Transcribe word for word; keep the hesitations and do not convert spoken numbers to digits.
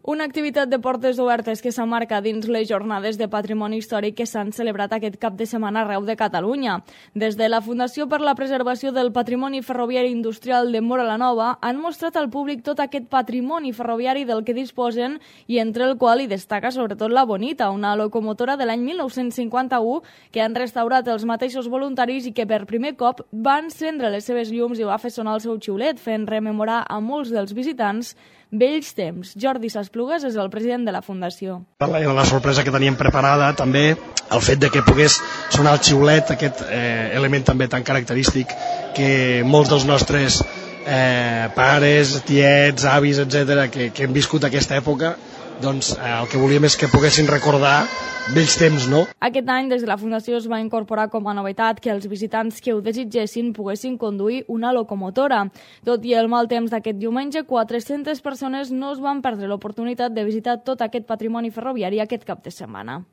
Una activitat de portes obertes que s'emmarca dins les jornades de patrimoni històric que s'han celebrat aquest cap de setmana arreu de Catalunya. Des de la Fundació per la Preservació del Patrimoni Ferroviari Industrial de Móra la Nova han mostrat al públic tot aquest patrimoni ferroviari del que disposen i entre el qual hi destaca sobretot la Bonita, una locomotora de l'any mil nou-cents cinquanta-u que han restaurat els mateixos voluntaris i que per primer cop va encendre les seves llums i va fer sonar el seu xiulet, fent rememorar a molts dels visitants vells temps. Jordi Sasplugues és el president de la Fundació. Era la sorpresa que teníem preparada, també el fet de que pogués sonar el xiulet, aquest eh, element també tan característic que molts dels nostres eh, pares, tiets, avis, etcètera, que, que hem viscut aquesta època, doncs eh, el que volíem és que poguessin recordar vells temps, no? Aquest any, des de la Fundació, es va incorporar com a novetat que els visitants que ho desitgessin poguessin conduir una locomotora. Tot i el mal temps d'aquest diumenge, quatre-centes persones no es van perdre l'oportunitat de visitar tot aquest patrimoni ferroviari aquest cap de setmana.